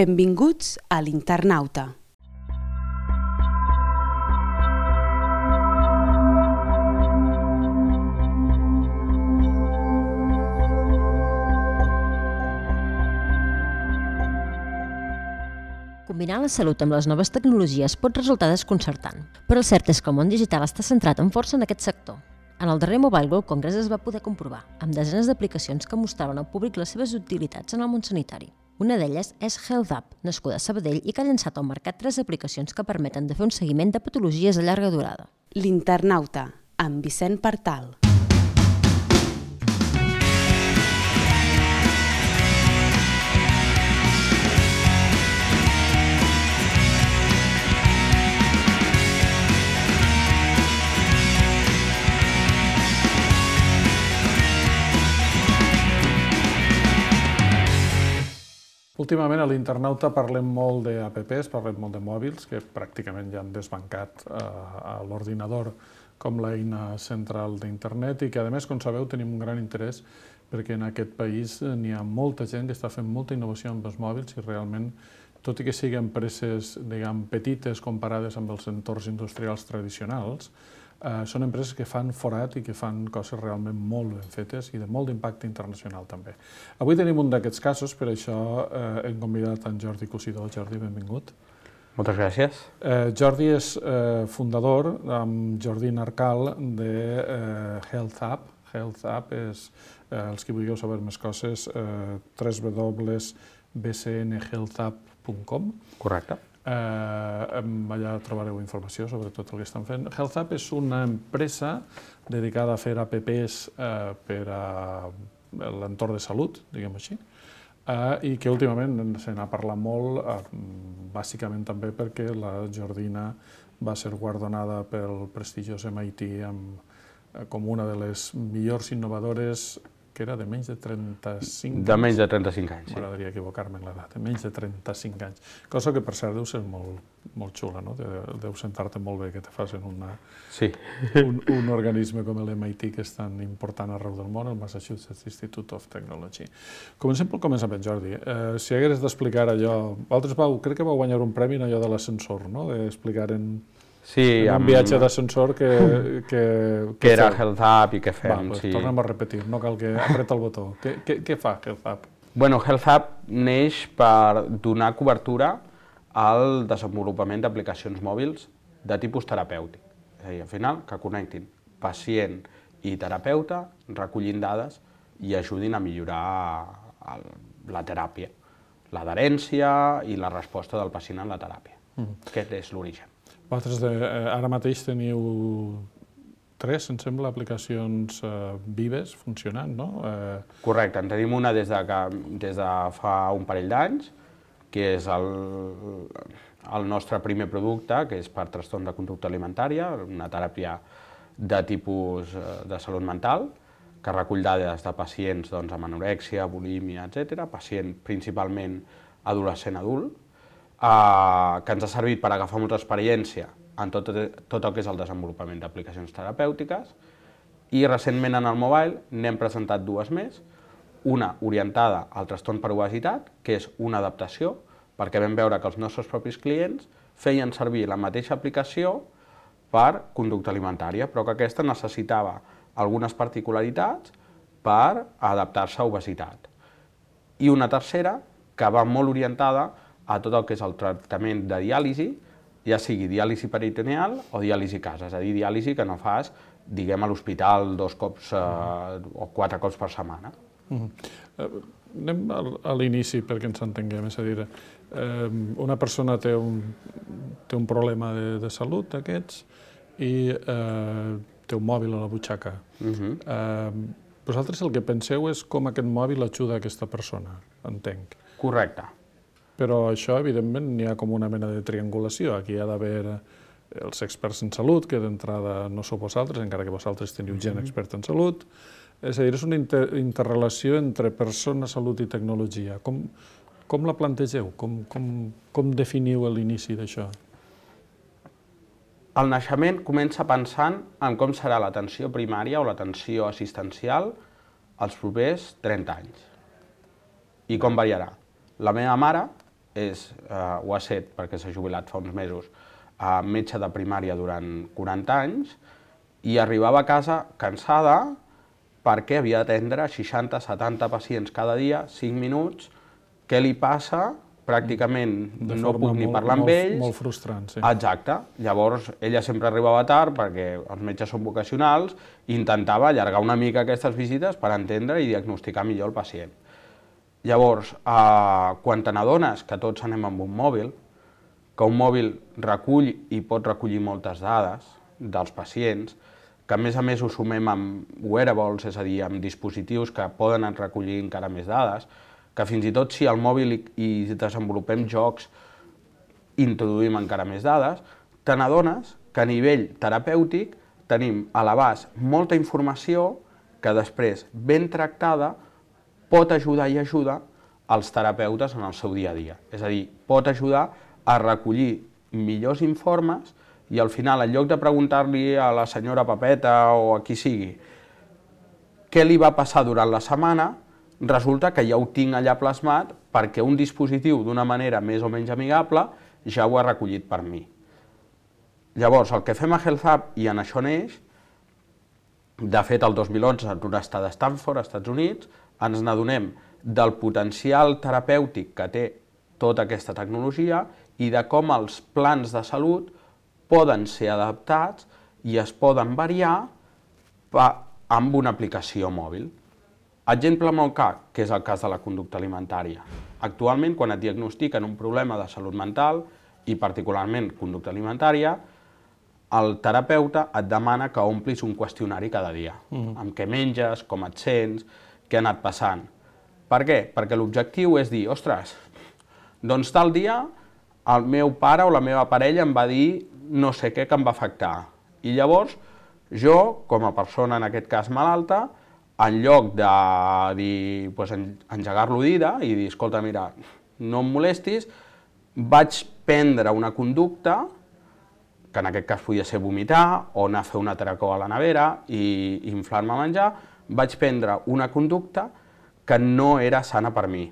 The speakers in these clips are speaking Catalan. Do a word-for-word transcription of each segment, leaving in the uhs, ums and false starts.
Benvinguts a l'Internauta. Combinar la salut amb les noves tecnologies pot resultar desconcertant, però el cert és que el món digital està centrat amb força en aquest sector. En el darrer Mobile World Congress es va poder comprovar, amb desenes d'aplicacions que mostraven al públic les seves utilitats en el món sanitari. Una d'elles és HealthUp, nascuda a Sabadell i que ha llançat al mercat tres aplicacions que permeten de fer un seguiment de patologies a llarga durada. L'Internauta, amb Vicent Partal. Últimament a l'Internauta parlem molt d'apps, parlem molt de mòbils, que pràcticament ja han desbancat a l'ordinador com l'eina central d'internet i que, a més, com sabeu, tenim un gran interès perquè en aquest país n'hi ha molta gent que està fent molta innovació amb els mòbils i realment, tot i que siguin empreses, diguem, petites comparades amb els entorns industrials tradicionals, són empreses que fan forat i que fan coses realment molt ben fetes i de molt d'impacte internacional també. Avui tenim un d'aquests casos, per això hem convidat en Jordi Cosidó. Jordi, benvingut. Moltes gràcies. Jordi és fundador, amb Jordi Narcal, de HealthUp. HealthUp és, els que vulgueu saber més coses, w w w punt b c n healthup punt com. Correcte. Allà trobareu informació sobre tot el que estan fent. HealthUp és una empresa dedicada a fer apps per a l'entorn de salut, diguem així, i que últimament se n'ha parlat molt, bàsicament també perquè la Jordina va ser guardonada pel prestigiós M I T com una de les millors innovadores, que era de menys de trenta-cinc anys. De menys de trenta-cinc anys, sí. M'agradaria equivocar-me en l'edat, de menys de trenta-cinc anys. Cosa que, per cert, deu ser molt xula, no? Deu sentar-te molt bé que te facin un organisme com l'M I T, que és tan important arreu del món, el Massachusetts Institute of Technology. Comencem pel començament, Jordi. Si hagués d'explicar allò... Vosaltres crec que vau guanyar un premi en allò de l'ascensor, no? D'explicar en... Sí, un viatge d'ascensor que... Que era HealthUp i què fem, sí. Tornem a repetir, no cal que apreta el botó. Què fa HealthUp? Bueno, HealthUp neix per donar cobertura al desenvolupament d'aplicacions mòbils de tipus terapèutic. És a dir, al final, que connectin pacient i terapeuta, recollint dades i ajudin a millorar la teràpia, l'adherència i la resposta del pacient en la teràpia. Aquest és l'origen. Vosaltres ara mateix teniu tres, em sembla, aplicacions vives funcionant, no? Correcte, en tenim una des de fa un parell d'anys, que és el nostre primer producte, que és per trastorn de conducta alimentària, una teràpia de tipus de salut mental, que recull dades de pacients amb anorèxia, bulímia, etcètera, pacient principalment adolescent-adult, que ens ha servit per agafar molta experiència en tot el que és el desenvolupament d'aplicacions terapèutiques i recentment en el mobile n'hem presentat dues més, una orientada al trastorn per obesitat, que és una adaptació, perquè vam veure que els nostres propis clients feien servir la mateixa aplicació per conducta alimentària, però que aquesta necessitava algunes particularitats per adaptar-se a obesitat. I una tercera, que va molt orientada a tot el que és el tractament de diàlisi, ja sigui diàlisi peritoneal o diàlisi a casa, és a dir, diàlisi que no fas, diguem, a l'hospital dos cops o quatre cops per setmana. Anem a l'inici perquè ens entenguem, és a dir, una persona té un problema de salut d'aquests i té un mòbil a la butxaca. Vosaltres el que penseu és com aquest mòbil ajuda a aquesta persona, entenc. Correcte. Però això, evidentment, n'hi ha com una mena de triangulació. Aquí hi ha d'haver els experts en salut, que d'entrada no sou vosaltres, encara que vosaltres teniu gent experta en salut. És a dir, és una interrelació entre persona, salut i tecnologia. Com la plantegeu? Com definiu l'inici d'això? El naixement comença pensant en com serà l'atenció primària o l'atenció assistencial els propers trenta anys. I com variarà. La meva mare és, eh, ho ha set perquè s'ha jubilat fa uns mesos, eh, metge de primària durant quaranta anys, i arribava a casa cansada perquè havia d'atendre seixanta setanta pacients cada dia, cinc minuts, què li passa? Pràcticament no puc ni parlar amb ells. Molt frustrant, sí. Exacte. Llavors, ella sempre arribava tard perquè els metges són vocacionals i intentava allargar una mica aquestes visites per entendre i diagnosticar millor el pacient. Llavors, eh, quan te n'adones que tots anem amb un mòbil, que un mòbil recull i pot recollir moltes dades dels pacients, que a més a més ho sumem amb wearables, és a dir, amb dispositius que poden recollir encara més dades, que fins i tot si al mòbil i desenvolupem jocs introduïm encara més dades, te n'adones que a nivell terapèutic tenim a l'abast molta informació que després, ben tractada, pot ajudar i ajuda els terapeutes en el seu dia a dia. És a dir, pot ajudar a recollir millors informes i al final, en lloc de preguntar-li a la senyora Pepeta o a qui sigui què li va passar durant la setmana, resulta que ja ho tinc allà plasmat perquè un dispositiu d'una manera més o menys amigable ja ho ha recollit per mi. Llavors, el que fem a Health Hub, i en això neix, de fet el dos mil onze en un estat de Stanford, als Estats Units, ens n'adonem del potencial terapèutic que té tota aquesta tecnologia i de com els plans de salut poden ser adaptats i es poden variar amb una aplicació mòbil. Exemple molt clar, que és el cas de la conducta alimentària. Actualment, quan et diagnostiquen un problema de salut mental, i particularment conducta alimentària, el terapeuta et demana que omplis un qüestionari cada dia, mm. amb què menges, com et sents, què ha anat passant. Per què? Perquè l'objectiu és dir, ostres, doncs tal dia el meu pare o la meva parella em va dir no sé què que em va afectar. I llavors, jo, com a persona en aquest cas malalta, en lloc de dir, doncs, engegar-lo d'ira i dir, escolta, mira, no em molestis, vaig prendre una conducta, que en aquest cas podia ser vomitar o anar a fer una atracó a la nevera i inflar-me a menjar, vaig prendre una conducta que no era sana per mi.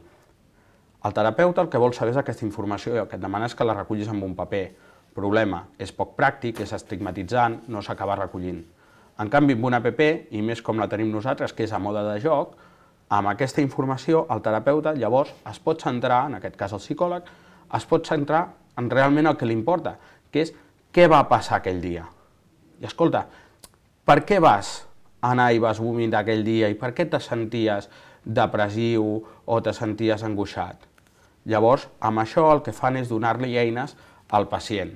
El terapeuta el que vol saber és aquesta informació i el que et demana és que la recullis amb un paper. Problema, és poc pràctic, és estigmatitzant, no s'acaba recollint. En canvi, amb una app, i més com la tenim nosaltres, que és a mode de joc, amb aquesta informació el terapeuta llavors es pot centrar, en aquest cas el psicòleg, es pot centrar en realment el que li importa, que és què va passar aquell dia. I escolta, per què vas anar i vas vomitar aquell dia i per què te senties depressiu o te senties angoixat? Llavors, amb això el que fan és donar-li eines al pacient.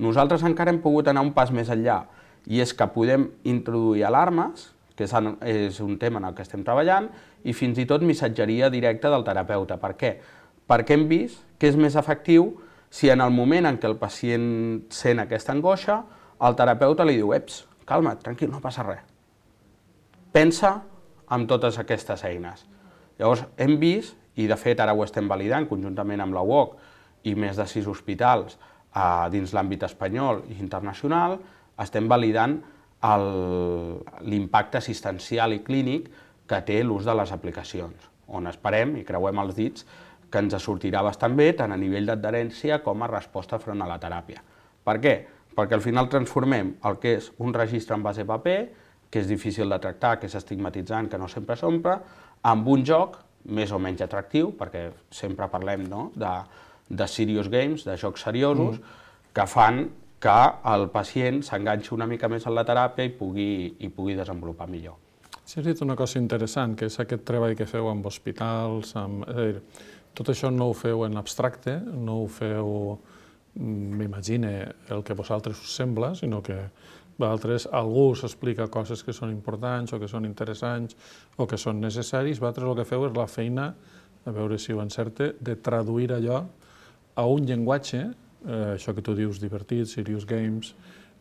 Nosaltres encara hem pogut anar un pas més enllà, i és que podem introduir alarmes, que és un tema en el que estem treballant, i fins i tot missatgeria directa del terapeuta. Per què? Perquè hem vist que és més efectiu si en el moment en què el pacient sent aquesta angoixa, el terapeuta li diu, eps, calma't, tranquil, no passa res. Pensa en totes aquestes eines. Llavors hem vist, i de fet ara ho estem validant conjuntament amb la U O C i més de sis hospitals dins l'àmbit espanyol i internacional, estem validant l'impacte assistencial i clínic que té l'ús de les aplicacions, on esperem i creuem els dits que ens sortirà bastant bé tant a nivell d'adherència com a resposta front a la teràpia. Per què? Perquè al final transformem el que és un registre en base a paper, que és difícil de tractar, que és estigmatitzant, que no sempre s'omple, amb un joc més o menys atractiu, perquè sempre parlem de serious games, de jocs seriosos, que fan que el pacient s'enganxi una mica més en la teràpia i pugui desenvolupar millor. Sí, has dit una cosa interessant, que és aquest treball que feu amb hospitals, tot això no ho feu en abstracte, no ho feu, m'imagine, el que vosaltres us sembla, sinó que vosaltres, algú us explica coses que són importants o que són interessants o que són necessaris, vosaltres el que feu és la feina, a veure si ho encerte, de traduir allò a un llenguatge, això que tu dius divertit, serious games,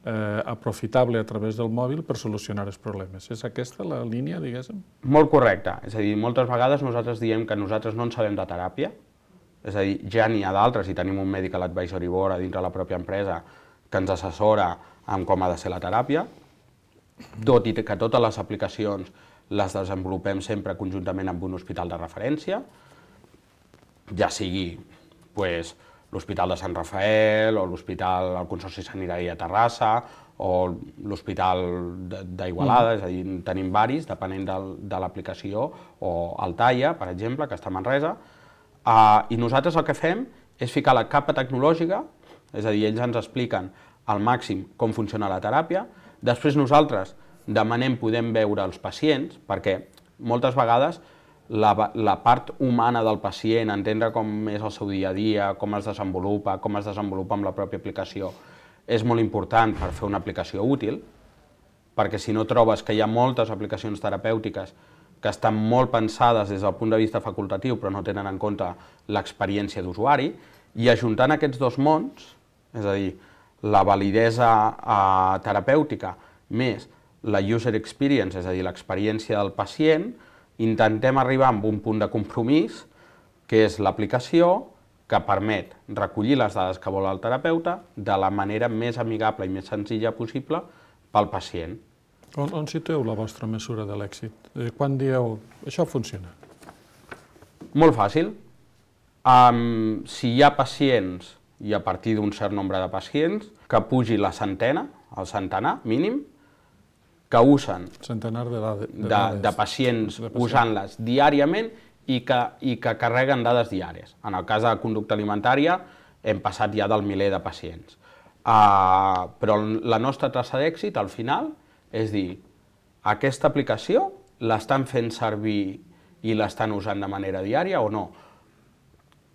aprofitable a través del mòbil per solucionar els problemes. És aquesta la línia, diguéssim? Molt correcte. És a dir, moltes vegades nosaltres diem que nosaltres no en sabem de teràpia, és a dir, ja n'hi ha d'altres i tenim un Medical Advisory Board a dintre la pròpia empresa que ens assessora en com ha de ser la teràpia, tot i que totes les aplicacions les desenvolupem sempre conjuntament amb un hospital de referència, ja sigui pues, l'Hospital de Sant Rafael, o l'Hospital, el Consorci Sanitari de Terrassa, o l'Hospital d'Igualada, és a dir, tenim varis, depenent de l'aplicació, o Altaia, per exemple, que està a Manresa, i nosaltres el que fem és ficar la capa tecnològica, és a dir, ells ens expliquen al màxim com funciona la teràpia, després nosaltres demanem podem veure els pacients, perquè moltes vegades la, la part humana del pacient, entendre com és el seu dia a dia, com es desenvolupa, com es desenvolupa amb la pròpia aplicació, és molt important per fer una aplicació útil, perquè si no trobes que hi ha moltes aplicacions terapèutiques que estan molt pensades des del punt de vista facultatiu però no tenen en compte l'experiència d'usuari, i ajuntant aquests dos mons, és a dir, la validesa eh, terapèutica més la user experience, és a dir, l'experiència del pacient, intentem arribar a un punt de compromís, que és l'aplicació que permet recollir les dades que vol el terapeuta de la manera més amigable i més senzilla possible pel pacient. On, on situeu la vostra mesura de l'èxit? Quan dieu, això funciona? Molt fàcil. Um, si hi ha pacients, i a partir d'un cert nombre de pacients, que pugi la centena, el centenar mínim, que usen centenar de, de, de, de, de pacients usant-les diàriament i que, i que carreguen dades diàries. En el cas de la conducta alimentària hem passat ja del miler de pacients. Uh, però la nostra tassa d'èxit al final és dir, aquesta aplicació l'estan fent servir i l'estan usant de manera diària o no?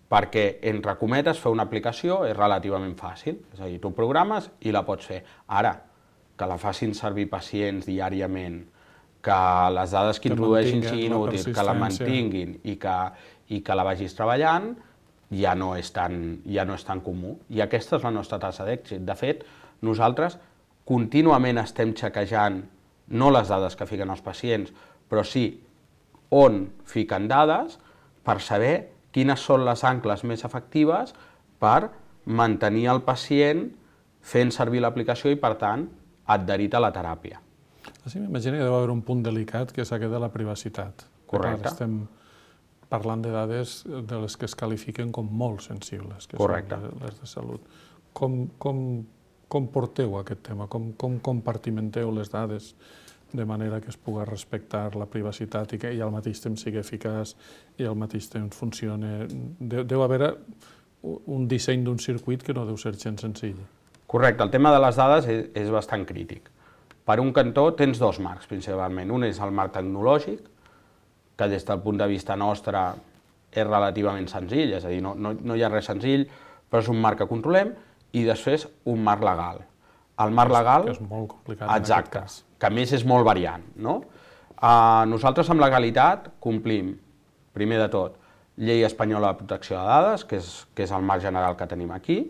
Perquè, entre cometes, fer una aplicació és relativament fàcil, és a dir, tu programes i la pots fer. Ara, que la facin servir pacients diàriament, que les dades que introdueixin siguin útils, que la mantinguin i que, i que la vagis treballant, ja no és tan, ja no és tan comú. I aquesta és la nostra tassa d'èxit. De fet, nosaltres contínuament estem xequejant no les dades que fiquen els pacients, però sí on fiquen dades per saber quines són les ancles més efectives per mantenir el pacient fent servir l'aplicació i, per tant, adherit a la teràpia. Sí, m'imagino que deu haver un punt delicat, que és aquest de la privacitat. Correcte. Estem parlant de dades de les que es qualifiquen com molt sensibles, que Correcte. són les de salut. Com, com, com porteu aquest tema? Com, com compartimenteu les dades de manera que es pugui respectar la privacitat i que i al mateix temps sigui eficaç i al mateix temps funcioni? Deu, deu haver un disseny d'un circuit que no deu ser gens senzill. Correcte, el tema de les dades és, és bastant crític. Per un cantó tens dos marcs, principalment. Un és el marc tecnològic, que des del punt de vista nostre és relativament senzill, és a dir, no, no, no hi ha res senzill, però és un marc que controlem, i després un marc legal. El marc legal... Que és molt complicat exacte, en aquest cas. Que a més és molt variant, no? Uh, nosaltres amb legalitat complim, primer de tot, Llei Espanyola de Protecció de Dades, que és, que és el marc general que tenim aquí.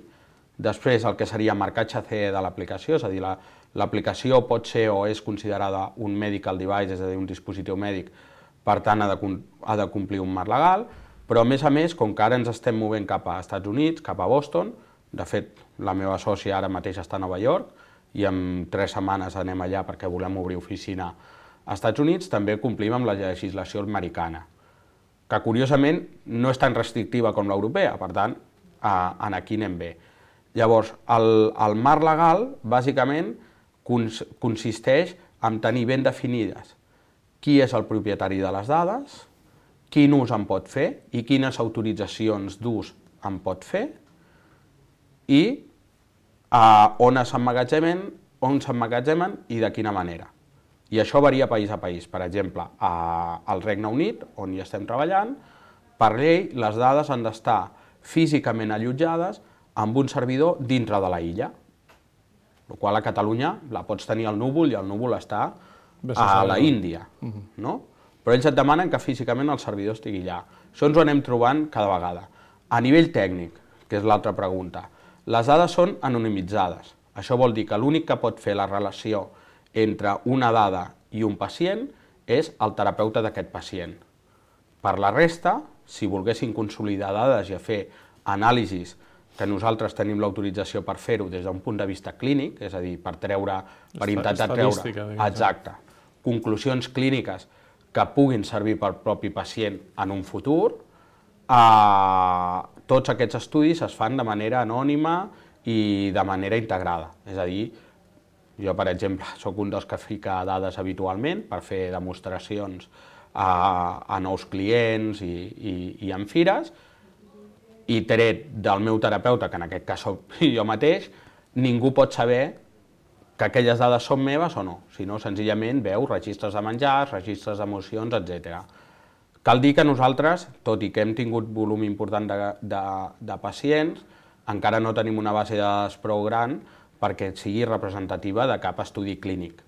Després, el que seria marcatge C E de l'aplicació, és a dir, l'aplicació pot ser o és considerada un medical device, és a dir, un dispositiu mèdic, per tant, ha de, ha de complir un marc legal, però a més a més, com que ara ens estem movent cap a Estats Units, cap a Boston, de fet, la meva sòcia ara mateix està a Nova York, i en tres setmanes anem allà perquè volem obrir oficina a Estats Units, també complim amb la legislació americana, que curiosament no és tan restrictiva com l'europea, per tant, en aquí anem bé. Llavors, el, el marc legal, bàsicament, cons, consisteix en tenir ben definides qui és el propietari de les dades, quin ús en pot fer i quines autoritzacions d'ús en pot fer i uh, on s'emmagatzemen, on s'emmagatzemen i de quina manera. I això varia país a país. Per exemple, uh, al Regne Unit, on hi estem treballant, per llei les dades han d'estar físicament allotjades amb un servidor dintre de la illa, el qual a Catalunya la pots tenir al núvol i el núvol està a la Índia, no? Però ells et demanen que físicament el servidor estigui allà. Això ens ho anem trobant cada vegada. A nivell tècnic, que és l'altra pregunta, les dades són anonimitzades. Això vol dir que l'únic que pot fer la relació entre una dada i un pacient és el terapeuta d'aquest pacient. Per la resta, si volguessin consolidar dades i fer anàlisis que nosaltres tenim l'autorització per fer-ho des d'un punt de vista clínic, és a dir, per treure, per intentar treure, exacte, conclusions clíniques que puguin servir pel propi pacient en un futur, eh, tots aquests estudis es fan de manera anònima i de manera integrada. És a dir, jo, per exemple, sóc un dels que fica dades habitualment per fer demostracions a, a nous clients i, i, i en fires, i tret del meu terapeuta, que en aquest cas soc jo mateix, ningú pot saber que aquelles dades són meves o no, sinó senzillament veu registres de menjars, registres d'emocions, etcètera. Cal dir que nosaltres, tot i que hem tingut volum important de, de, de pacients, encara no tenim una base de dades prou gran perquè sigui representativa de cap estudi clínic.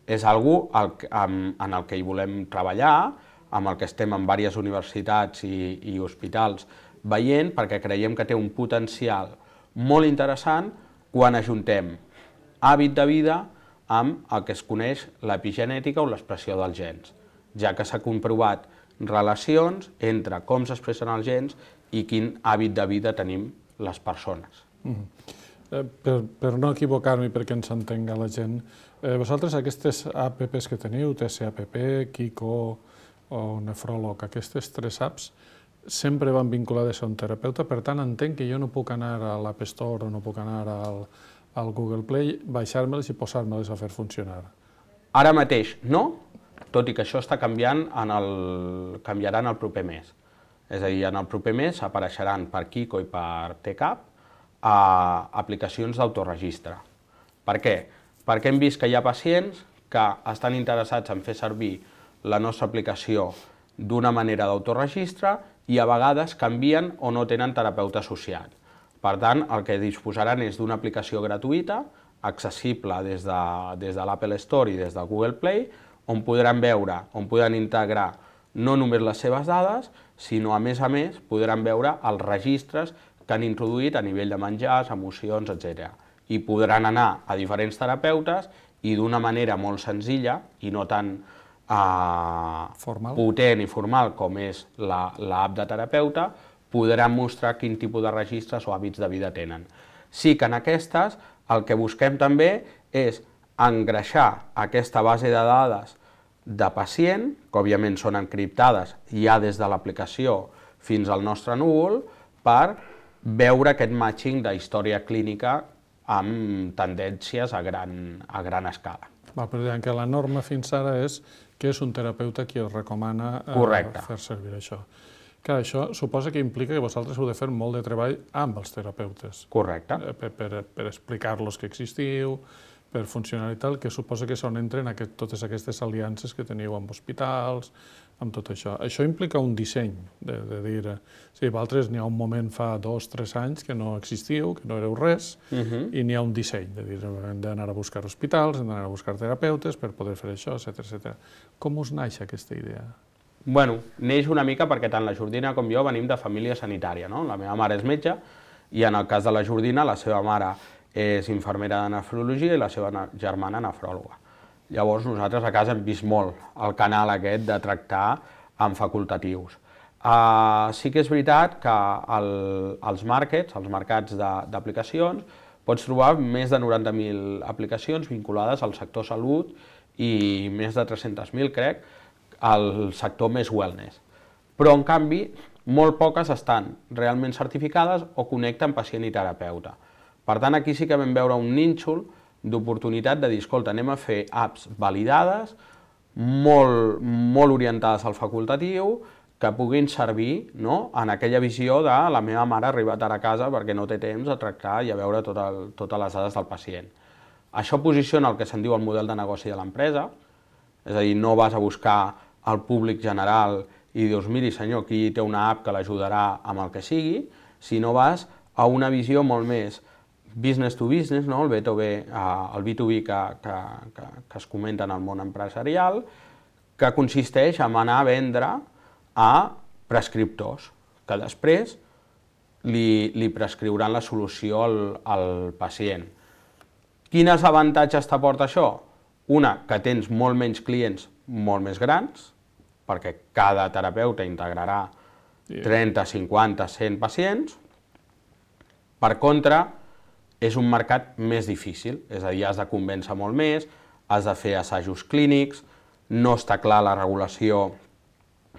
És algo en el que hi volem treballar, amb el que estem en diverses universitats i, i hospitals veient, perquè creiem que té un potencial molt interessant quan ajuntem hàbit de vida amb el que es coneix l'epigenètica o l'expressió dels gens, ja que s'ha comprovat relacions entre com s'expressen els gens i quin hàbit de vida tenim les persones. Mm. Eh, per, per no equivocar-me i perquè ens entenga la gent, eh, vosaltres aquestes apps que teniu, T C A P P, Kiko o Nefròleg, aquestes tres apps, sempre van vinculades a un terapeuta, per tant entenc que jo no puc anar a l'App Store o no puc anar al, al Google Play, baixar-me-les i posar-me-les a fer funcionar. Ara mateix no, tot i que això està canviant, en el, canviarà en el proper mes. És a dir, en el proper mes apareixeran per Kiko i per T C A P a aplicacions d'autoregistre. Per què? Perquè hem vist que hi ha pacients que estan interessats en fer servir la nostra aplicació d'una manera d'autoregistre i a vegades canvien o no tenen terapeuta associat. Per tant, el que disposaran és d'una aplicació gratuïta, accessible des de, des de l'Apple Store i des del Google Play, on podran veure, on podran integrar no només les seves dades, sinó a més a més podran veure els registres que han introduït a nivell de menjars, emocions, etcètera. I podran anar a diferents terapeutes i d'una manera molt senzilla i no tan eh, potent i formal com és l'app de terapeuta, podran mostrar quin tipus de registres o hàbits de vida tenen. Sí que en aquestes el que busquem també és engreixar aquesta base de dades de pacient, que òbviament són encriptades ja des de l'aplicació fins al nostre núvol, per veure aquest matching de història clínica amb tendències a gran, a gran escala. Va, però diguem que la norma fins ara és que és un terapeuta qui es recomana eh, fer servir això. Clar, això suposa que implica que vosaltres heu de fer molt de treball amb els terapeutes. Correcte. Eh, per, per, per explicar-los que existiu, per funcionar i tal, que suposa que és on entren aquest, totes aquestes aliances que teniu amb hospitals, amb tot això. Això implica un disseny, de, de dir, sí, vosaltres n'hi ha un moment fa dos, tres anys que no existiu, que no éreu res, uh-huh. i n'hi ha un disseny, de dir, hem d'anar a buscar hospitals, hem d'anar a buscar terapeutes per poder fer això, etcètera, etcètera. Com us naix aquesta idea? Bueno, neix una mica perquè tant la Jordina com jo venim de família sanitària, no? La meva mare és metge i en el cas de la Jordina la seva mare és infermera de nefrologia i la seva germana nefròloga. Llavors nosaltres a casa hem vist molt el canal aquest de tractar amb facultatius. Uh, sí que és veritat que el, els markets, els mercats d'aplicacions, pots trobar més de noranta mil aplicacions vinculades al sector salut i més de tres-centes mil, crec, al sector més wellness. Però, en canvi, molt poques estan realment certificades o connecten pacient i terapeuta. Per tant, aquí sí que vam veure un nínxol d'oportunitat de dir, escolta, anem a fer apps validades, molt, molt orientades al facultatiu, que puguin servir, no?, en aquella visió de la meva mare ha arribat ara a casa perquè no té temps de tractar i a veure tot el, totes les dades del pacient. Això posiciona el que se'n diu el model de negoci de l'empresa, és a dir, no vas a buscar al públic general i dius, miri senyor, aquí té una app que l'ajudarà amb el que sigui, sinó vas a una visió molt més business to business, no? el B dos B, el B dos B que, que, que, que es comenta en el món empresarial, que consisteix en anar a vendre a prescriptors, que després li, li prescriuran la solució al, al pacient. Quins avantatges t'aporta això? Una, que tens molt menys clients molt més grans, perquè cada terapeuta integrarà trenta, cinquanta, cent pacients. Per contra, és un mercat més difícil, és a dir, has de convèncer molt més, has de fer assajos clínics, no està clar la regulació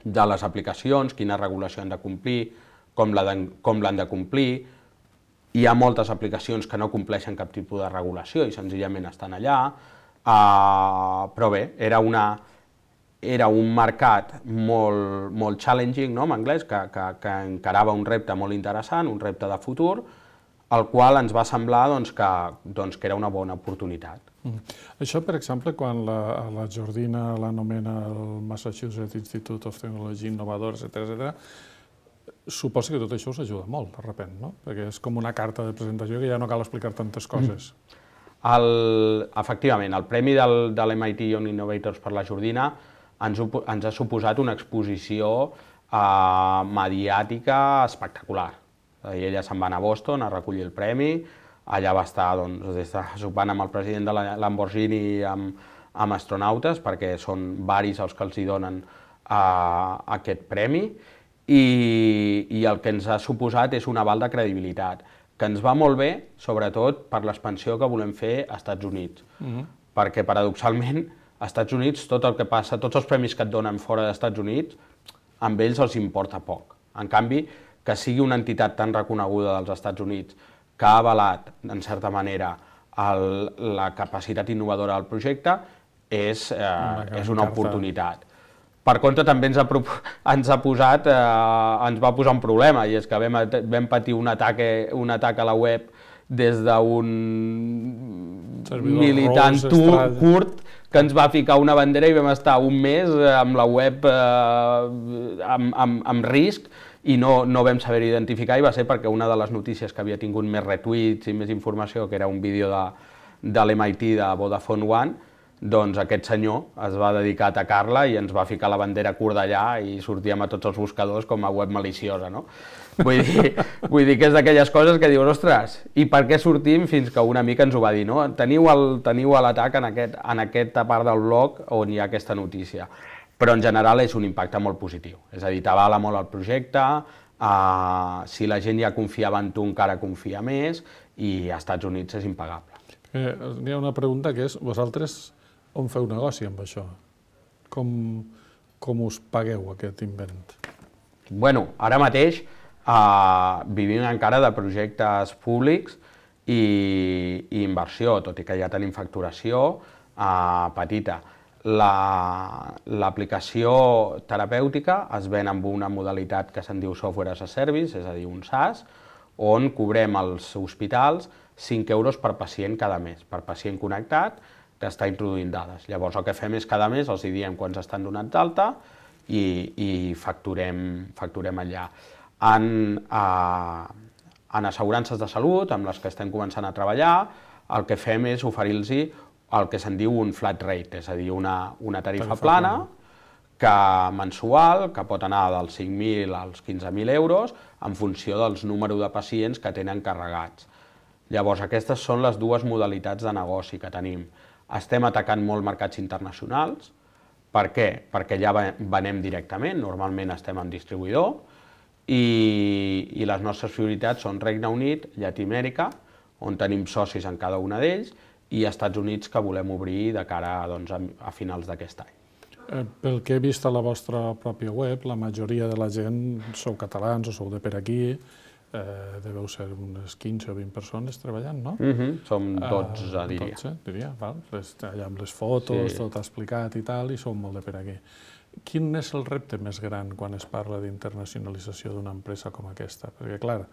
de les aplicacions, quina regulació han de complir com l'han de complir. Hi ha moltes aplicacions que no compleixen cap tipus de regulació i senzillament estan allà, però bé, era una... era un mercat molt, molt challenging, no?, en anglès, que, que, que encarava un repte molt interessant, un repte de futur, el qual ens va semblar doncs, que, doncs, que era una bona oportunitat. Mm. Això, per exemple, quan la, la Jordina l'anomena el Massachusetts Institute of Technology Innovador, etcètera, etcètera, suposa que tot això us ajuda molt, de sobte, no? Perquè és com una carta de presentació que ja no cal explicar tantes coses. Mm. El, efectivament, el premi del, de l'M I T Young Innovators per la Jordina ens, ens ha suposat una exposició eh, mediàtica espectacular. Ella se'n va anar a Boston a recollir el premi, allà va estar doncs, des de, sopant amb el president de la Lamborghini i amb, amb astronautes, perquè són varis els que els hi donen eh, aquest premi, i, i el que ens ha suposat és un aval de credibilitat, que ens va molt bé, sobretot per l'expansió que volem fer als Estats Units, uh-huh. perquè paradoxalment als Estats Units tot el que passa, tots els premis que et donen fora dels Estats Units, amb ells els importa poc. En canvi, que sigui una entitat tan reconeguda dels Estats Units que ha avalat, en certa manera, el, la capacitat innovadora del projecte, és, eh, una és una oportunitat. Per contra, també ens ha, ens ha posat, eh, ens va posar un problema, i és que vam, vam patir un atac, un atac a la web des d'un militant curt que ens va ficar una bandera i vam estar un mes amb la web eh, amb, amb, amb risc i no, no vam saber identificar, i va ser perquè una de les notícies que havia tingut més retuits i més informació, que era un vídeo de, de l'M I T de Vodafone One, doncs aquest senyor es va dedicar a atacar-la i ens va ficar la bandera kurda allà i sortíem a tots els buscadors com a web maliciosa, no? Vull dir, vull dir que és d'aquelles coses que dius, ostres, i per què sortim? Fins que una mica ens ho va dir, no? Teniu l'atac en, aquest, en aquesta part del blog on hi ha aquesta notícia. Però en general és un impacte molt positiu, és a dir, t'avala molt el projecte, eh, si la gent ja confiava en tu encara confia més, i als Estats Units és impagable. Eh, hi ha una pregunta que és, vosaltres on feu negoci amb això? Com, com us pagueu aquest invent? Bueno, ara mateix eh, vivim encara de projectes públics i, i inversió, tot i que ja tenim facturació eh, petita. L'aplicació la, terapèutica es ven amb una modalitat que se'n diu Software as a Service, és a dir, un SaaS, on cobrem als hospitals cinc euros per pacient cada mes, per pacient connectat que està introduint dades. Llavors el que fem és cada mes els diem quants estan donats d'alta i, i facturem, facturem allà. En, eh, en assegurances de salut, amb les que estem començant a treballar, el que fem és oferir-los el que se'n diu un flat rate, és a dir, una, una tarifa, tarifa plana, plana que mensual, que pot anar dels cinc mil als quinze mil euros en funció dels números de pacients que tenen carregats. Llavors, aquestes són les dues modalitats de negoci que tenim. Estem atacant molt mercats internacionals. Per què? Perquè ja venem directament, normalment estem en distribuïdor, i, i les nostres prioritats són Regne Unit, Llatinoamèrica, on tenim socis en cada una d'ells, i als Estats Units, que volem obrir de cara doncs, a, a finals d'aquest any. Eh, pel que he vist a la vostra pròpia web, la majoria de la gent sou catalans o sou de per aquí, eh, deveu ser unes quinze o vint persones treballant, no? Mm-hmm. Som dotze, uh, diria. dotze, diria, val. Les, allà amb les fotos, sí. Tot explicat i tal, i som molt de per aquí. Quin és el repte més gran quan es parla d'internacionalització d'una empresa com aquesta? Perquè, clar,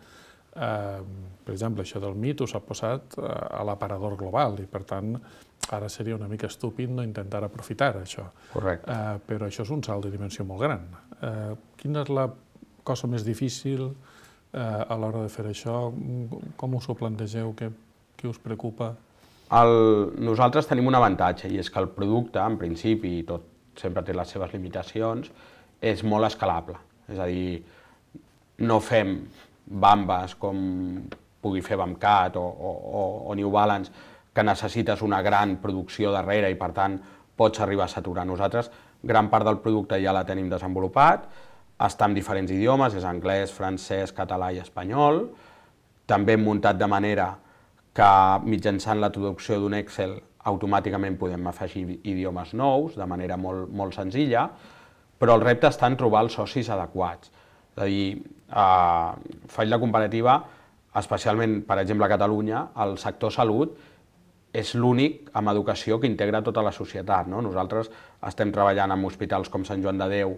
Uh, per exemple, això del M I T us ha posat uh, a l'aparador global i, per tant, ara seria una mica estúpid no intentar aprofitar això. Correcte. Uh, però això és un salt de dimensió molt gran. Uh, quina és la cosa més difícil uh, a l'hora de fer això? Com us ho plantegeu? Què, què us preocupa? El, nosaltres tenim un avantatge, i és que el producte, en principi, i tot sempre té les seves limitacions, és molt escalable. És a dir, no fem bambes com pugui fer Bamcat o, o, o New Balance, que necessites una gran producció darrere i per tant pots arribar a saturar. Nosaltres gran part del producte ja la tenim desenvolupat, està en diferents idiomes, és anglès, francès, català i espanyol. També hem muntat de manera que mitjançant la traducció d'un Excel automàticament podem afegir idiomes nous de manera molt, molt senzilla, però el repte està en trobar els socis adequats. És a dir, eh, faig la comparativa, especialment, per exemple, a Catalunya, el sector salut és l'únic amb educació que integra tota la societat. No? Nosaltres estem treballant en hospitals com Sant Joan de Déu,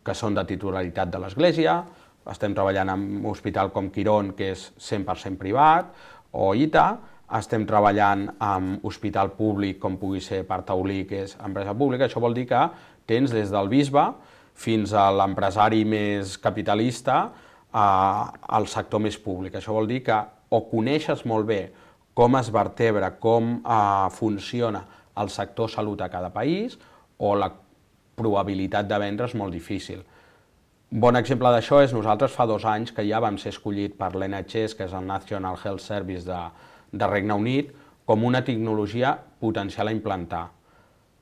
que són de titularitat de l'Església, estem treballant en un hospital com Quirón, que és cent per cent privat, o I T A, estem treballant en hospital públic, com pugui ser Partaulí, que és empresa pública. Això vol dir que tens des del bisbe fins a l'empresari més capitalista al sector més públic. Això vol dir que o coneixes molt bé com es vertebra, com eh, funciona el sector salut a cada país, o la probabilitat de vendre és molt difícil. Un bon exemple d'això és nosaltres fa dos anys que ja vam ser escollit per l'N H S, que és el National Health Service de, de Regne Unit, com una tecnologia potencial a implantar.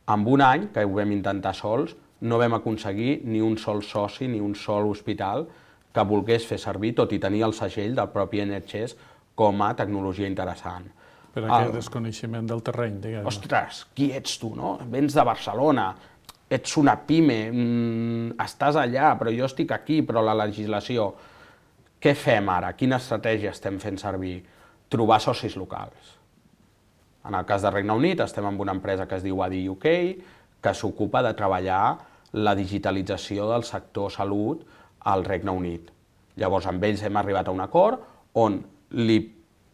En un any, que ho vam intentar sols, no vam aconseguir ni un sol soci, ni un sol hospital que volgués fer servir, tot i tenir el segell del propi N H S, com a tecnologia interessant. Per aquest desconeixement del terreny, diguem. Ostres, qui ets tu, no? Vens de Barcelona, ets una pime, mmm, estàs allà, però jo estic aquí, però la legislació... Què fem ara? Quina estratègia estem fent servir? Trobar socis locals. En el cas de Regne Unit estem amb una empresa que es diu A D U K, que s'ocupa de treballar la digitalització del sector salut al Regne Unit. Llavors, amb ells hem arribat a un acord on li,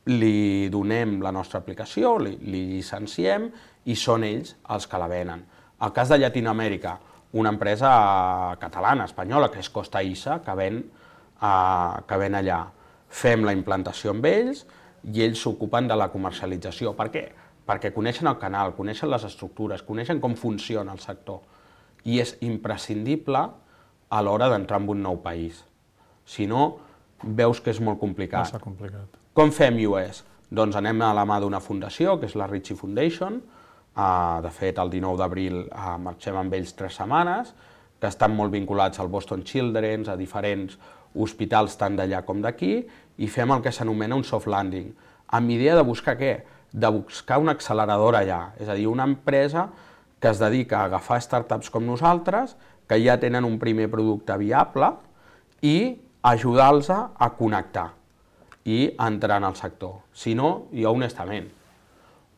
li donem la nostra aplicació, li, li llicenciem i són ells els que la venen. El cas de Llatinoamèrica, una empresa catalana, espanyola, que és Costa Issa, que ven, uh, que ven allà. Fem la implantació amb ells i ells s'ocupen de la comercialització. Per què? Perquè coneixen el canal, coneixen les estructures, coneixen com funciona el sector. I és imprescindible a l'hora d'entrar en un nou país. Si no, veus que és molt complicat. Massa complicat. Com fem U S? Doncs anem a la mà d'una fundació, que és la Ritchie Foundation. Uh, de fet, el dinou d'abril uh, marxem amb ells tres setmanes, que estan molt vinculats al Boston Children's, a diferents hospitals tant d'allà com d'aquí, i fem el que s'anomena un soft landing, amb idea de buscar què? De buscar una acceleradora allà, és a dir, una empresa que es dedica a agafar startups com nosaltres, que ja tenen un primer producte viable, i ajudar-los a connectar i a entrar en el sector. Si no, jo honestament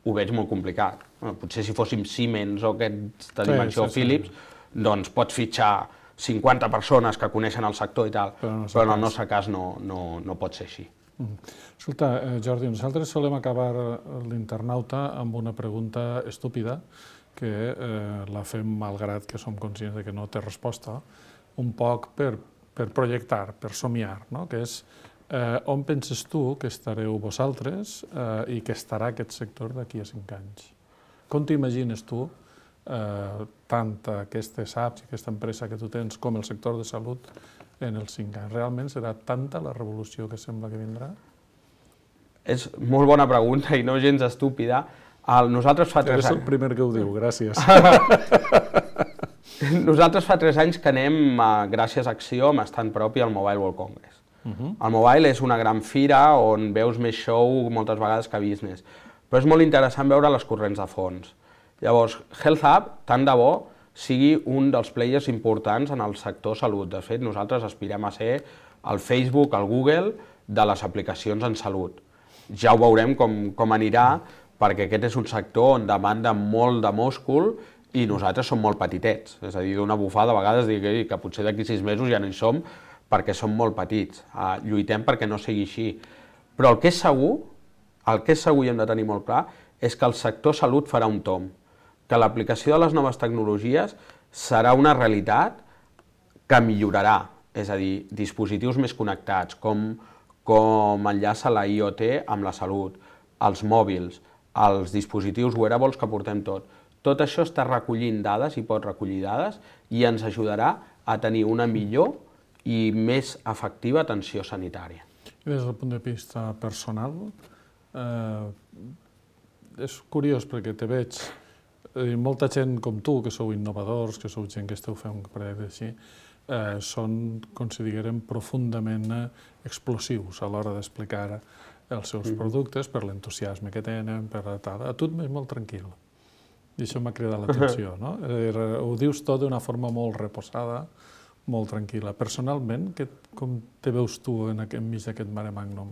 ho veig molt complicat. Bueno, potser si fóssim Siemens o aquesta dimensió sí, sí, Philips, sí. doncs pots fitxar cinquanta persones que coneixen el sector i tal, però, no però en el nostre cas no, no, no pot ser així. Mm. Escolta, eh, Jordi, nosaltres solem acabar l'internauta amb una pregunta estúpida, que eh, la fem malgrat que som conscients de que no té resposta, un poc per, per projectar, per somiar, no? Que és eh, on penses tu que estareu vosaltres eh, i que estarà aquest sector d'aquí a cinc anys? Com t'imagines tu eh, tant aquestes apps i aquesta empresa que tu tens com el sector de salut en els cinc anys? Realment serà tanta la revolució que sembla que vindrà? És molt bona pregunta i no gens estúpida. El, nosaltres fa tres anys... Eres el primer que ho diu, gràcies. Nosaltres fa tres anys que anem, gràcies a Acció, amb estant propi al Mobile World Congress. Uh-huh. El Mobile és una gran fira on veus més show moltes vegades que business, però és molt interessant veure les corrents de fons. Llavors, Health Hub, tant de bo, sigui un dels players importants en el sector salut. De fet, nosaltres aspirem a ser el Facebook, el Google, de les aplicacions en salut. Ja ho veurem com, com anirà, perquè aquest és un sector on demanda molt de múscul i nosaltres som molt petitets. És a dir, d'una bufada a vegades dic que potser d'aquí sis mesos ja no hi som perquè som molt petits. Uh, lluitem perquè no sigui així. Però el que és segur, el que és segur i hem de tenir molt clar, és que el sector salut farà un tomb, que l'aplicació de les noves tecnologies serà una realitat que millorarà, és a dir, dispositius més connectats, com, com enllaça la I O T amb la salut, els mòbils, els dispositius wearables que portem tot. Tot això està recollint dades i pot recollir dades i ens ajudarà a tenir una millor i més efectiva atenció sanitària. I des del punt de vista personal, eh, és curiós perquè te veig, eh, molta gent com tu, que sou innovadors, que sou gent que esteu fent un projecte així, eh, són, considerem, profundament explosius a l'hora d'explicar els seus mm-hmm. productes, per l'entusiasme que tenen, per tal. A tu et veig molt tranquil. I això m'ha cridat l'atenció, no? Ho dius tot d'una forma molt reposada, molt tranquil·la. Personalment, com te veus tu enmig d'aquest mare magnum?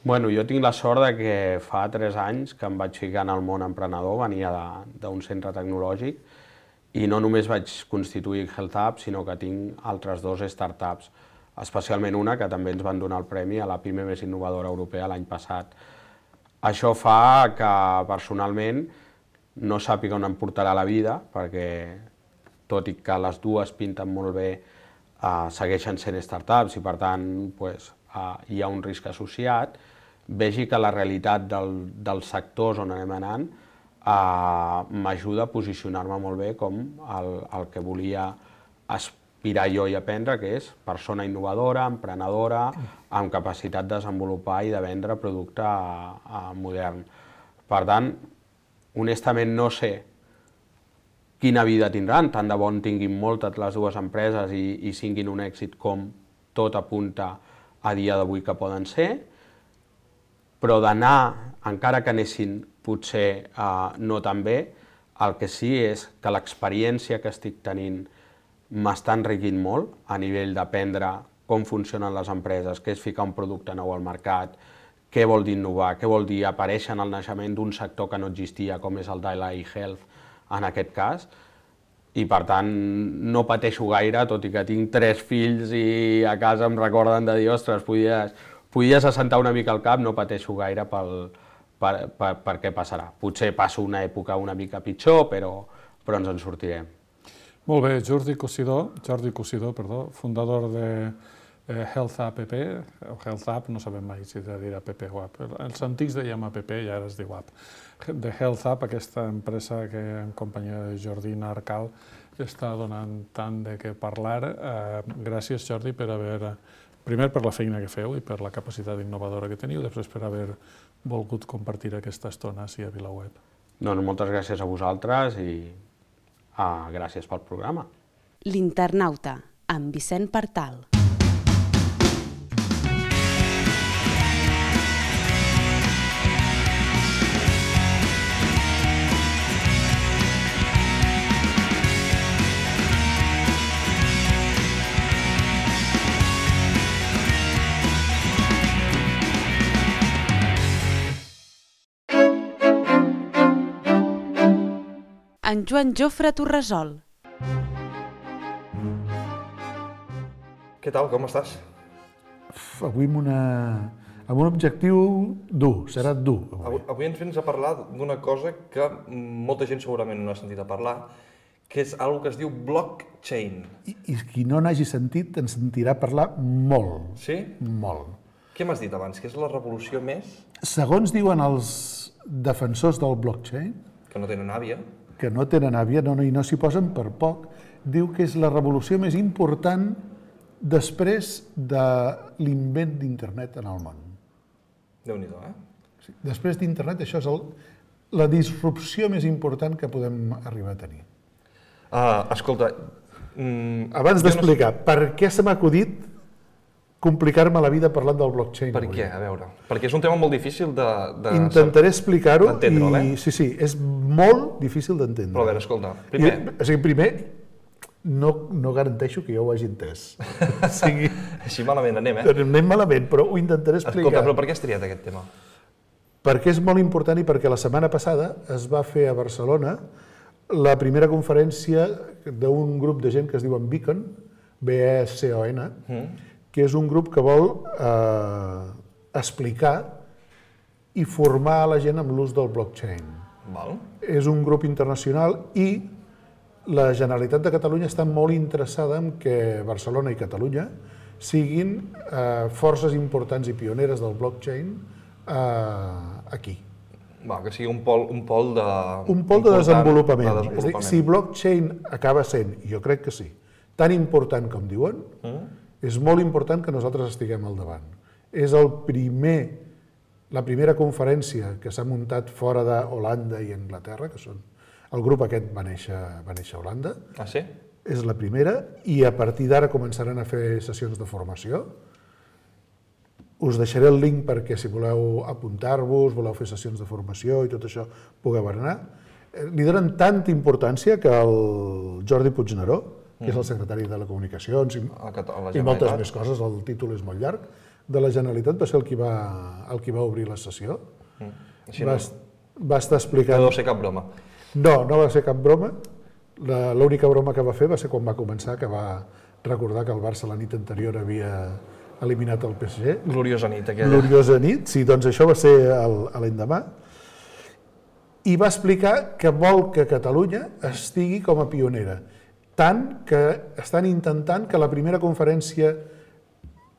Bueno, jo tinc la sort de que fa tres anys que em vaig ficar en el món emprenedor, venia d'un centre tecnològic, i no només vaig constituir Health Hub, sinó que tinc altres dos startups, especialment una que també ens van donar el premi a la PIME més innovadora europea l'any passat. Això fa que personalment no sàpiga on em portarà la vida, perquè tot i que les dues pinten molt bé, eh, segueixen sent startups i per tant pues, eh, hi ha un risc associat, vegi que la realitat del, dels sectors on anem anant eh, m'ajuda a posicionar-me molt bé com el, el que volia aspirar jo i aprendre, que és persona innovadora, emprenedora, amb capacitat de desenvolupar i de vendre producte eh, modern. Per tant, honestament no sé quina vida tindran, tant de bon tinguin moltes les dues empreses i, i siguin un èxit com tot apunta a dia d'avui que poden ser, però d'anar, encara que anessin potser eh, no tan bé, el que sí és que l'experiència que estic tenint m'està enriquint molt a nivell d'aprendre com funcionen les empreses, què és ficar un producte nou al mercat, què vol dir innovar, què vol dir aparèixer en el naixement d'un sector que no existia, com és el de l'e-health en aquest cas, i per tant no pateixo gaire, tot i que tinc tres fills i a casa em recorden de dir, ostres, podies, podies assentar una mica el cap, no pateixo gaire pel, per, per, per què passarà. Potser passo una època una mica pitjor, però, però ens en sortirem. Molt bé, Jordi Cosidó, Jordi Cosidó, perdó, fundador de eh, Health App, o Health App, no sabem mai si de dir app o app. Els antics dèiem app i ara es diu app. De Health App, aquesta empresa que en companyia de Jordina Arcal està donant tant de què parlar. Eh, gràcies, Jordi, per haver, primer per la feina que feu i per la capacitat innovadora que teniu, després per haver volgut compartir aquesta estona ací a VilaWeb. Doncs moltes gràcies a vosaltres i ah, gràcies pel programa. L'Internauta, amb Vicent Partal. En Joan Jofre Torresol. Què tal, com estàs? Avui amb, una, amb un objectiu dur, serà dur. Avui, avui ens vens a parlar d'una cosa que molta gent segurament no ha sentit a parlar, que és una que es diu blockchain. I, i qui no n'hagi sentit en sentirà parlar molt. Sí? Molt. Què m'has dit abans? Que és la revolució més? Segons diuen els defensors del blockchain, Que no tenen àvia. que no tenen àvia, no, no, i no s'hi posen per poc, diu que és la revolució més important després de l'invent d'internet en el món. Déu-n'hi-do, eh? Sí, després d'internet, això és el, la disrupció més important que podem arribar a tenir. Uh, escolta... Mm, Abans d'explicar, no sé... per què se m'ha acudit complicar-me la vida parlant del blockchain? Per què? A veure, perquè és un tema molt difícil de... de Intentaré explicar-ho i... eh? Sí, sí, és molt difícil d'entendre. Però a veure, escolta, primer... I, o sigui, primer, no, no garanteixo que jo ho hagi entès. O sigui, Així malament anem, eh? anem malament, però ho intentaré explicar. Escolta, però per què has triat aquest tema? Perquè és molt important i perquè la setmana passada es va fer a Barcelona la primera conferència d'un grup de gent que es diuen Beacon, B E C O N, mm. que és un grup que vol eh, explicar i formar la gent amb l'ús del blockchain. Val. És un grup internacional i la Generalitat de Catalunya està molt interessada en que Barcelona i Catalunya siguin eh, forces importants i pioneres del blockchain eh, aquí. Val, que sigui un pol, un pol de... Un pol de desenvolupament. de desenvolupament. És a dir, si blockchain acaba sent, i jo crec que sí, tan important com diuen, mm. és molt important que nosaltres estiguem al davant. És el primer, la primera conferència que s'ha muntat fora d'Holanda i Anglaterra, que són... El grup aquest va néixer, va néixer a Holanda. Ah, sí? És la primera, i a partir d'ara començaran a fer sessions de formació. Us deixaré el link perquè si voleu apuntar-vos, voleu fer sessions de formació i tot això, pugueu anar. Li donen tanta importància que el Jordi Puigneró, que és el secretari de Telecomunicacions i, A Cata- a la i moltes Generalitat. més coses, el títol és molt llarg, de la Generalitat va ser el qui va, el qui va obrir la sessió. Així Va, no, est- va estar no explicant... deu ser cap broma. No, no va ser cap broma. La- L'única broma que va fer va ser quan va començar, que va recordar que el Barça la nit anterior havia eliminat el P S G. Gloriosa nit aquella. Gloriosa nit, sí, doncs això va ser el- a l'endemà. I va explicar que vol que Catalunya estigui com a pionera, tant que estan intentant que la primera conferència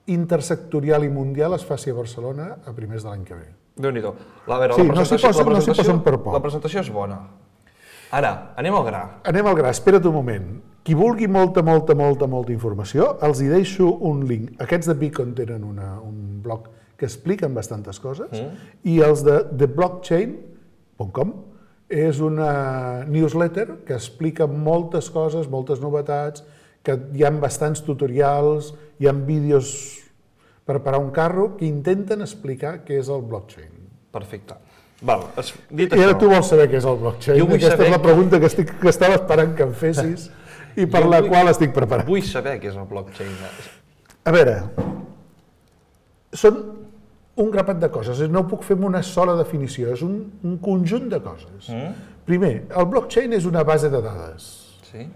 intersectorial i mundial es faci a Barcelona a primers de l'any que ve. Déu-n'hi-do. A veure, Sí, la no s'hi presentació, posen- la no s'hi presentació, posen per poc. la presentació és bona. Ara, anem al gra. Anem al gra, espera't un moment. Qui vulgui molta, molta, molta, molta informació, els hi deixo un link. Aquests de Beacon tenen una, un blog que expliquen bastantes coses, mm. i els de the blockchain punt com és una newsletter que explica moltes coses, moltes novetats, que hi ha bastants tutorials, hi ha vídeos per parar un carro que intenten explicar què és el blockchain. Perfecte. Val, es, dit I ara això, tu vols saber què és el blockchain. Jo vull Aquesta saber és la que- pregunta que, estic, que estava esperant que em fessis i per Jo la vull- qual estic preparat. vull saber què és el blockchain. A veure, són un grapat de coses, no ho puc fer amb una sola definició, és un, un conjunt de coses. Mm? Primer, el blockchain és una base de dades. Sí?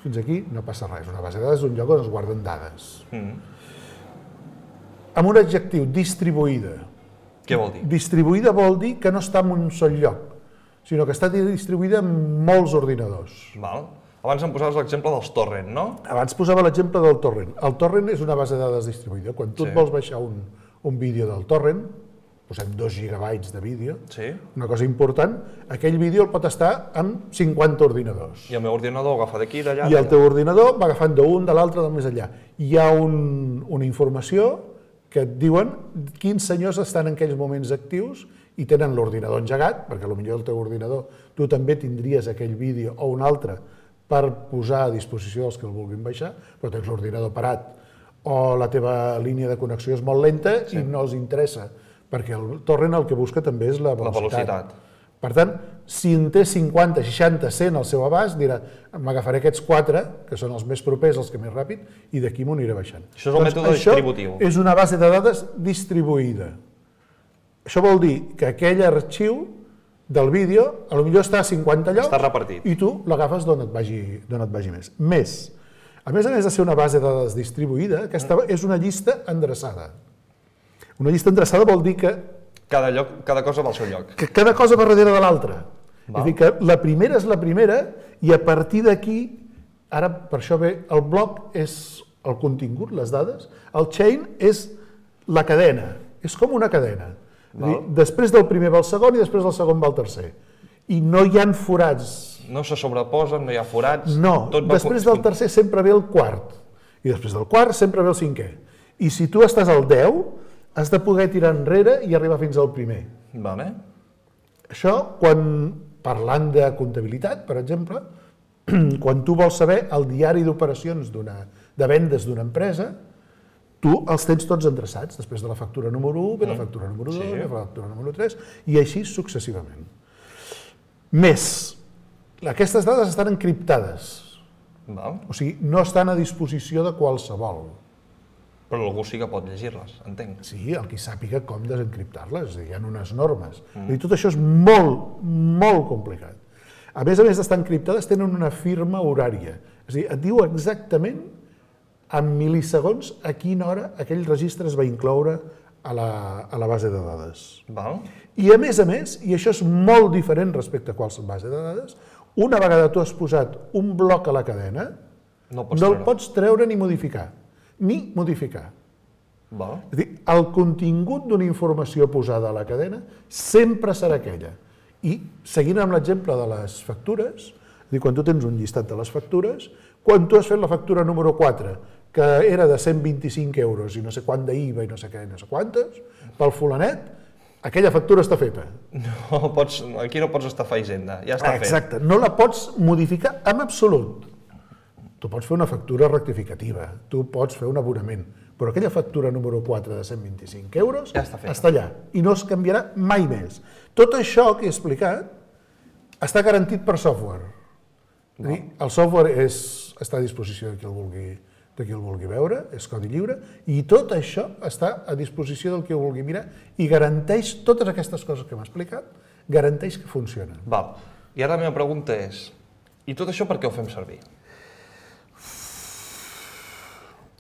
Fins aquí no passa res, una base de dades és un lloc on es guarden dades. Mm. Amb un adjectiu, distribuïda. Què vol dir? Distribuïda vol dir que no està en un sol lloc, sinó que està distribuïda en molts ordinadors. Val. Abans em posaves l'exemple dels torrent, no? Abans posava l'exemple del torrent. El torrent és una base de dades distribuïda. Quan tu Sí. et vols baixar un, un vídeo del torrent, posem dos gigabytes de vídeo, Sí. una cosa important, aquell vídeo el pot estar en cinquanta ordinadors. I el meu ordinador agafa d'aquí, d'allà, I el teu ordinador va agafant d'un, de l'altre, del més enllà. Hi ha un, una informació que et diuen quins senyors estan en aquells moments actius i tenen l'ordinador engegat, perquè potser el teu ordinador tu també tindries aquell vídeo o un altre per posar a disposició dels que el vulguin baixar, però tens l'ordinador parat o la teva línia de connexió és molt lenta sí. i no els interessa, perquè el torrent el que busca també és la velocitat. La velocitat. Per tant, si en té cinquanta, seixanta, cent al seu abast, dirà, m'agafaré aquests quatre, que són els més propers, els que més ràpid, i d'aquí m'ho aniré baixant. Això és el mètode distributiu. Això és una base de dades distribuïda. Això vol dir que aquell arxiu del vídeo, a lo millor està a cinquanta llocs, Està repartit. i tu l'agafes d'on et, vagi, d'on et vagi més. Més, a més a més de ser una base de dades distribuïda, aquesta és una llista endreçada. Una llista endreçada vol dir que Cada, lloc, cada cosa va al seu lloc. que cada cosa va darrere de l'altra. És Val. a dir, que la primera és la primera i a partir d'aquí, ara per això ve, el bloc és el contingut, les dades, el chain és la cadena, és com una cadena. És a dir, després del primer va el segon i després del segon va el tercer. I no hi han forats. No se sobreposen, no hi ha forats. No, tot va després con- del tercer sempre ve el quart. I després del quart sempre ve el cinquè. I si tu estàs al deu, has de poder tirar enrere i arribar fins al primer. Vale. Això, quan, parlant de comptabilitat, per exemple, quan tu vols saber el diari d'operacions d'una de vendes d'una empresa, tu els tens tots endreçats. Després de la factura número u, ve la factura número dos, Sí. ve la factura número tres, i així successivament. Més, aquestes dades estan encriptades, Val. o sigui, no estan a disposició de qualsevol. Però algú sí que pot llegir-les, entenc. Sí, el qui sàpiga com desencriptar-les, és a dir, hi ha unes normes. Mm. I tot això és molt, molt complicat. A més a més d'estar encriptades, tenen una firma horària. És a dir, et diu exactament, en mil·lisegons, a quina hora aquell registre es va incloure a la, a la base de dades. Val. I a més a més, i això és molt diferent respecte a qualsevol base de dades, una vegada tu has posat un bloc a la cadena, No el pots no el treure. pots treure ni modificar. Ni modificar. Val. És a dir, el contingut d'una informació posada a la cadena sempre serà aquella. I seguint amb l'exemple de les factures, és a dir, quan tu tens un llistat de les factures, quan tu has fet la factura número quatre, que era de cent vint-i-cinc euros i no sé quant d'I V A i no sé què, no sé quantes, pel fulanet, aquella factura està feta. No pots, aquí no pots estafar Hisenda, ja està fet. Exacte, no la pots modificar en absolut. Tu pots fer una factura rectificativa, tu pots fer un abonament, però aquella factura número quatre de cent vint-i-cinc euros Ja està feta. està allà i no es canviarà mai més. Tot això que he explicat està garantit per software. El software està a disposició de qui el vulgui de qui el vulgui veure, és codi lliure, i tot això està a disposició del qui ho vulgui mirar i garanteix totes aquestes coses que m'ha explicat, garanteix que funcionen. Val. I ara la meva pregunta és, i tot això per què ho fem servir?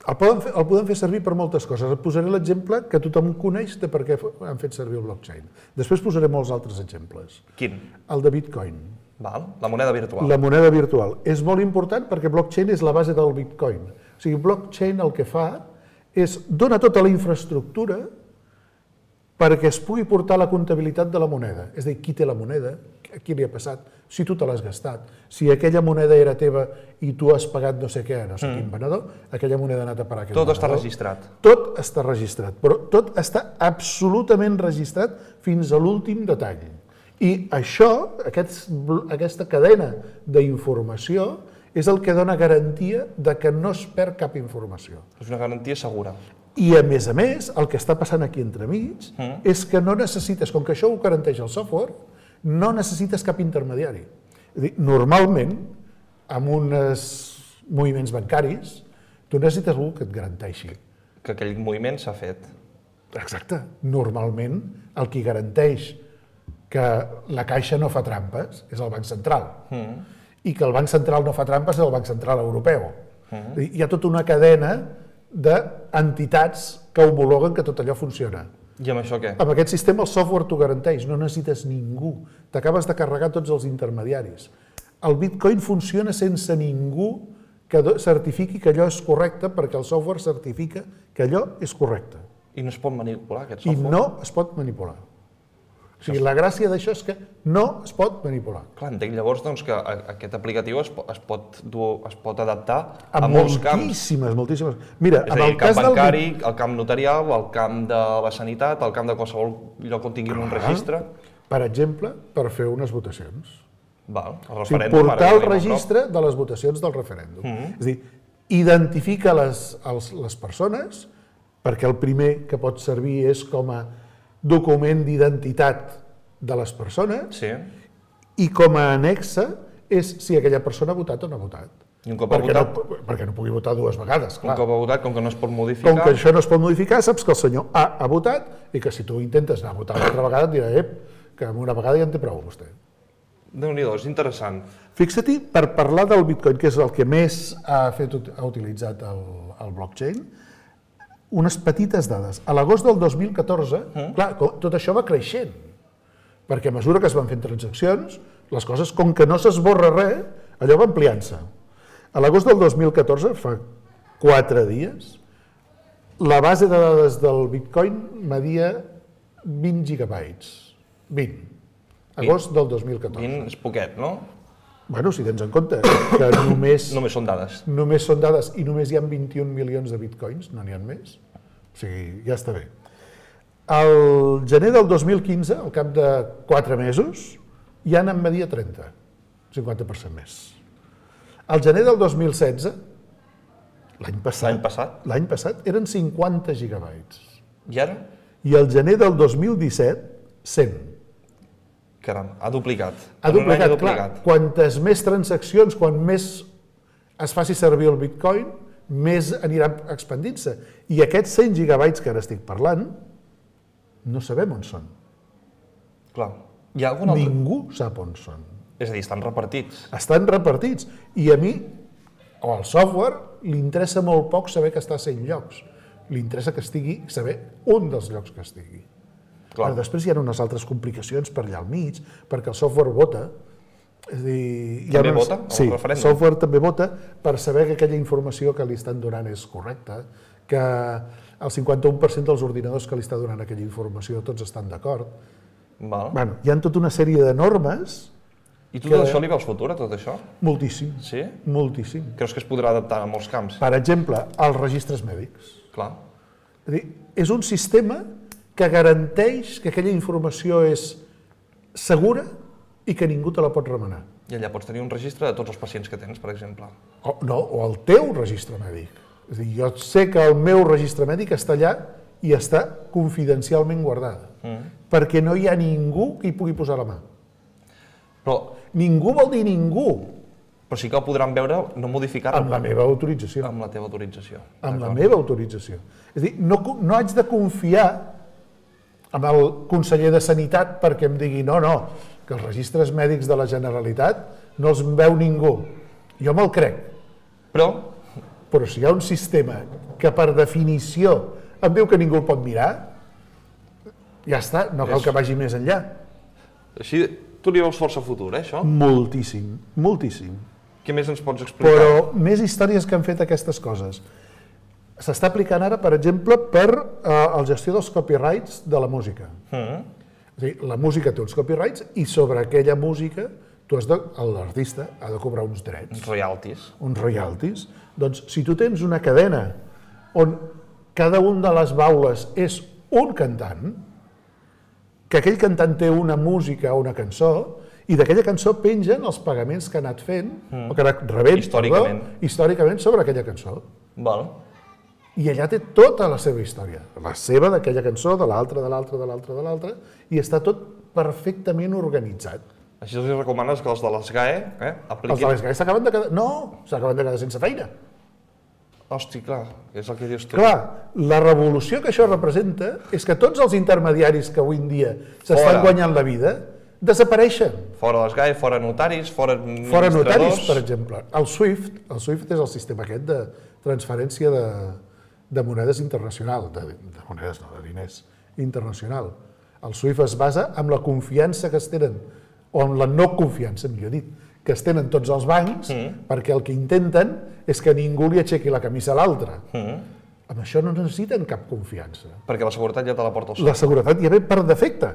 El podem fer, el podem fer servir per moltes coses. Et posaré l'exemple que tothom coneix de per què han fet servir el blockchain. Després posaré molts altres exemples. Quin? El de Bitcoin. Val. La moneda virtual. La moneda virtual. És molt important perquè blockchain és la base del Bitcoin. O sigui, blockchain el que fa és dona tota la infraestructura perquè es pugui portar la comptabilitat de la moneda. És a dir, qui té la moneda, a qui li ha passat, si tu te l'has gastat, si aquella moneda era teva i tu has pagat no sé què, no sé mm. quin venedor, aquella moneda ha anat a parar a aquell Tot venedor. està registrat. Tot està registrat, però tot està absolutament registrat fins a l'últim detall. I això, aquest, aquesta cadena d'informació, és el que dona garantia de que no es perd cap informació. És una garantia segura. I, a més a més, el que està passant aquí entremig mm. és que no necessites, com que això ho garanteix el software, no necessites cap intermediari. És a dir, normalment, amb uns moviments bancaris, tu necessites algú que et garanteixi. Que aquell moviment s'ha fet. Exacte. Normalment, el qui garanteix que la Caixa no fa trampes és el Banc Central. Mm. I que el Banc Central no fa trampes és el Banc Central Europeu. Mm. Hi ha tota una cadena d'entitats que homologuen que tot allò funciona. I amb això què? Amb aquest sistema el software t'ho garanteix, no necessites ningú. T'acabes de carregar tots els intermediaris. El Bitcoin funciona sense ningú que certifiqui que allò és correcte perquè el software certifica que allò és correcte. I no es pot manipular aquest I software? no es pot manipular. O sigui, la gràcia d'això és que no es pot manipular. Clar, entenc llavors doncs, que aquest aplicatiu es pot, es pot, dur, es pot adaptar a, a molts camps. Moltíssimes, moltíssimes. Mira, és a dir, el camp bancari, el camp notarial, el camp de la sanitat, el camp de qualsevol lloc on tinguin un registre. Per exemple, per fer unes votacions. Val, el o sigui, portar el registre de les votacions del referèndum. Mm-hmm. És a dir, identifica les, els, les persones, perquè el primer que pot servir és com a document d'identitat de les persones, sí. I com a anexa és si aquella persona ha votat o no ha votat. I un cop perquè, ha votat, no, perquè no pugui votar dues vegades, clar. Un cop ha votat, com que no es pot modificar... Com que això no es pot modificar, saps que el senyor A ha votat i que si tu intentes anar a votar una altra vegada et dirà ep, que amb una vegada ja en té prou vostè. Déu-n'hi-do, és interessant. Fixa-t'hi, per parlar del Bitcoin, que és el que més ha, fet, ha utilitzat el, el blockchain, unes petites dades. A l'agost del dos mil catorze, mm. clar, tot això va creixent, perquè a mesura que es van fent transaccions, les coses, com que no s'esborra res, allò va ampliant-se. A l'agost del dos mil catorze, fa quatre dies, la base de dades del Bitcoin media vint gigabytes. vint. Agost del dos mil catorze. vint és poquet, no? Bueno, si tens en compte que només... només són dades. Només són dades i només hi ha vint-i-un milions de bitcoins, no n'hi ha més. O sigui, ja està bé. Al gener del dos mil quinze, al cap de quatre mesos, ja n'en media trenta, cinquanta per cent més. Al gener del dos mil setze, l'any passat, l'any passat, l'any passat eren cinquanta gigabytes. I ara? I al gener del dos mil disset, cent. Caram, ha duplicat. Ha duplicat, clar. Quantes més transaccions, quan més es faci servir el Bitcoin, més anirà expandint-se. I aquests cent gigabytes que ara estic parlant, no sabem on són. Clar. Hi ha algun altre? Ningú sap on són. És a dir, estan repartits. Estan repartits. I a mi, o al software, li interessa molt poc saber que està a cent llocs. Li interessa que estigui, saber un dels llocs que estigui. Però després hi ha unes altres complicacions per allà al mig, perquè el software vota. És dir, també unes... vota? Sí, el software també vota per saber que aquella informació que li estan donant és correcta, que el cinquanta-u per cent dels ordinadors que li està donant aquella informació tots estan d'acord. Bueno, hi ha tota una sèrie de normes... I tu tot això li veus futur, a tot això? Moltíssim. Sí? Moltíssim. Creus que es podrà adaptar a molts camps? Per exemple, als registres mèdics. Clar. És dir, és un sistema que garanteix que aquella informació és segura i que ningú te la pot remenar. I allà pots tenir un registre de tots els pacients que tens, per exemple. O, no, o el teu registre mèdic. És a dir, jo sé que el meu registre mèdic està allà i està confidencialment guardada, mm. perquè no hi ha ningú que hi pugui posar la mà. Però... Ningú vol dir ningú. Però sí que el podran veure, no modificar-lo. Amb la meva autorització. Amb la teva autorització. Amb la meva autorització. És a dir, no, no haig de confiar amb el conseller de Sanitat perquè em digui no, no, que els registres mèdics de la Generalitat no els veu ningú. Jo me'l crec. Però? Però si hi ha un sistema que per definició em diu que ningú el pot mirar, ja està, no cal que vagi més enllà. Així, tu li veus força futur, eh, això? Moltíssim, moltíssim. Què més ens pots explicar? Però més històries que han fet aquestes coses. S'està aplicant ara, per exemple, per eh, la gestió dels copyrights de la música. Mm. És a dir, la música té uns copyrights i sobre aquella música tu has de, l'artista ha de cobrar uns drets. Uns royalties. Uns royalties. Doncs si tu tens una cadena on cada un de les baules és un cantant, que aquell cantant té una música o una cançó, i d'aquella cançó pengen els pagaments que ha anat fent, mm. o que ha anat rebent, històricament. Perdó, històricament sobre aquella cançó. Val. I allà té tota la seva història, la seva d'aquella cançó, de l'altra, de l'altra, de l'altra, de l'altra, i està tot perfectament organitzat. Així els recomanes que els de les G A E eh, apliquin... Els de les G A E s'acaben de quedar... No, s'acaben de quedar sense feina. Hosti, clar, és el que dius tu. Clar, la revolució que això representa és que tots els intermediaris que avui en dia s'estan guanyant la vida desapareixen. Fora les G A E, fora notaris, fora administradors... Fora notaris, per exemple. El SWIFT, el SWIFT és el sistema aquest de transferència de, de monedes internacional, de, de monedes no, de diners internacional. El SWIFT es basa en la confiança que es tenen, o en la no confiança, millor dit, que es tenen tots els bancs, mm. perquè el que intenten és que ningú li aixequi la camisa a l'altre. Mm. Amb això no necessiten cap confiança. Perquè la seguretat ja te la porta el SWIFT. La seguretat ja ve per defecte.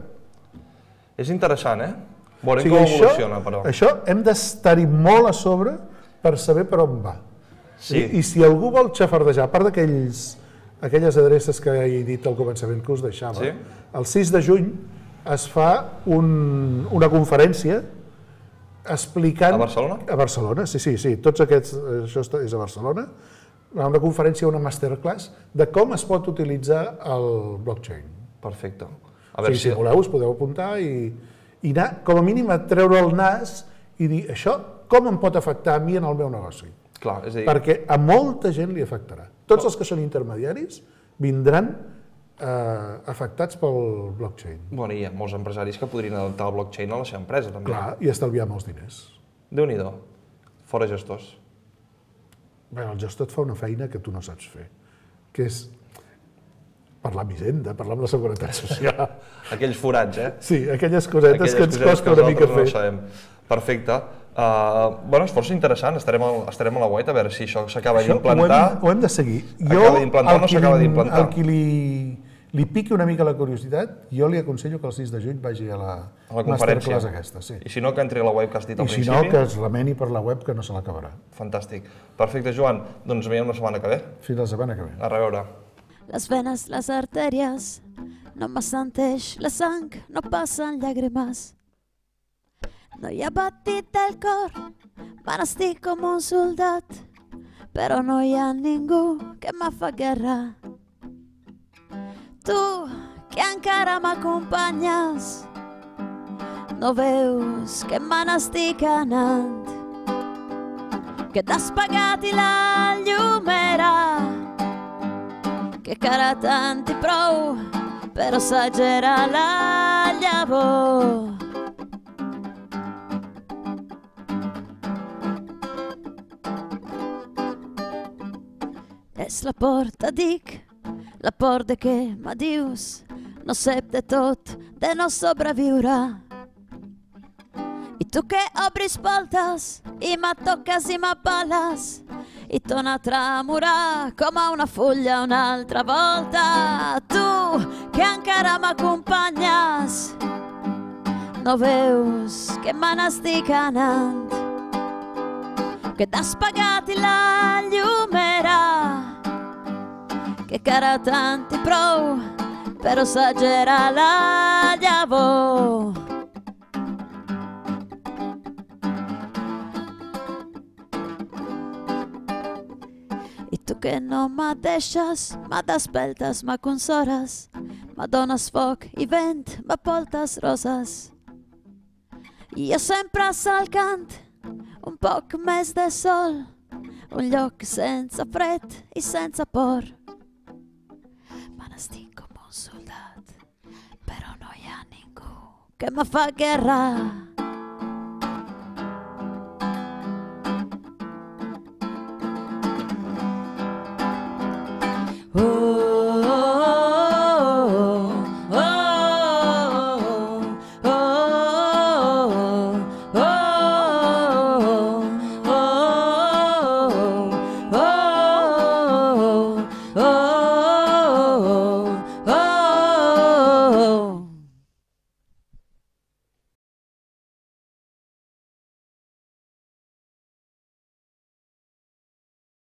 És interessant, eh? Veurem o sigui, com això, evoluciona, però. Això hem d'estar-hi molt a sobre per saber per on va. Sí. I, I si algú vol xafardejar, a part d'aquells aquelles adreces que he dit al començament que us deixava, sí? El sis de juny es fa un, una conferència explicant... A Barcelona? A Barcelona, sí, sí, sí. Tots aquests, això és a Barcelona. Una conferència, una masterclass de com es pot utilitzar el blockchain. Perfecte. A veure, o sigui, si voleu us podeu apuntar i, i anar, com a mínim, a treure el nas i dir això com em pot afectar a mi en el meu negoci. Clar, és a dir... Perquè a molta gent li afectarà. Tots els que són intermediaris vindran eh, afectats pel blockchain. Bueno, hi ha molts empresaris que podrien adaptar el blockchain a la seva empresa, també. Clar, i estalviar molts diners. Déu-n'hi-do. Fora gestors. Bé, el gestor et fa una feina que tu no saps fer, que és parlar amb Hisenda, parlar amb la Seguretat Social. Aquells forats, eh? Sí, aquelles cosetes aquelles que ens costa una mica fer. No sabem. Perfecte. Uh, bueno, és força interessant, estarem, al, estarem a la web a veure si això s'acaba d'implantar. Ho, ho hem de seguir. Acaba d'implantar o no s'acaba d'implantar? El qui li, li piqui una mica la curiositat, jo li aconsello que el sis de juny vagi a la, a la conferència aquesta. Sí. I si no, que entri a la web que has dit al I principi. I si no, que es remeni per la web que no se l'acabarà. Fantàstic. Perfecte, Joan. Doncs ens veiem la setmana que ve. Fins la setmana que ve. A reveure. Las venas, las arterias, nomás senteix la sang, no passen llàgrimes. No hi ha batit del cor, van estic com un soldat, però no hi ha ningú que me fa guerra. Tu, que encara m'acompanyes, no veus que me n'estic anant, que t'has pagat i la llum era, que cara tant i prou, però s'agera la llavor. És la por, te dic, la por de què m'adius, no sé de tot, de no sobreviure. I tu que obris voltes i me toques i m'apales i torna a tremorar com a una fulla una altra volta. Tu que encara m'acompanyes, no veus que me n'estic anant, que t'has pagat i la llum era, que cara tant i prou, però s'agera la llavor. I tu que no me deixes, me despertes, me consoles, me dones foc i vent, me portes roses. I jo sempre salcant un poc més de sol, un lloc sense fred i sense por. Me n'estic com un soldat, però no hi ha ningú que me fa guerra.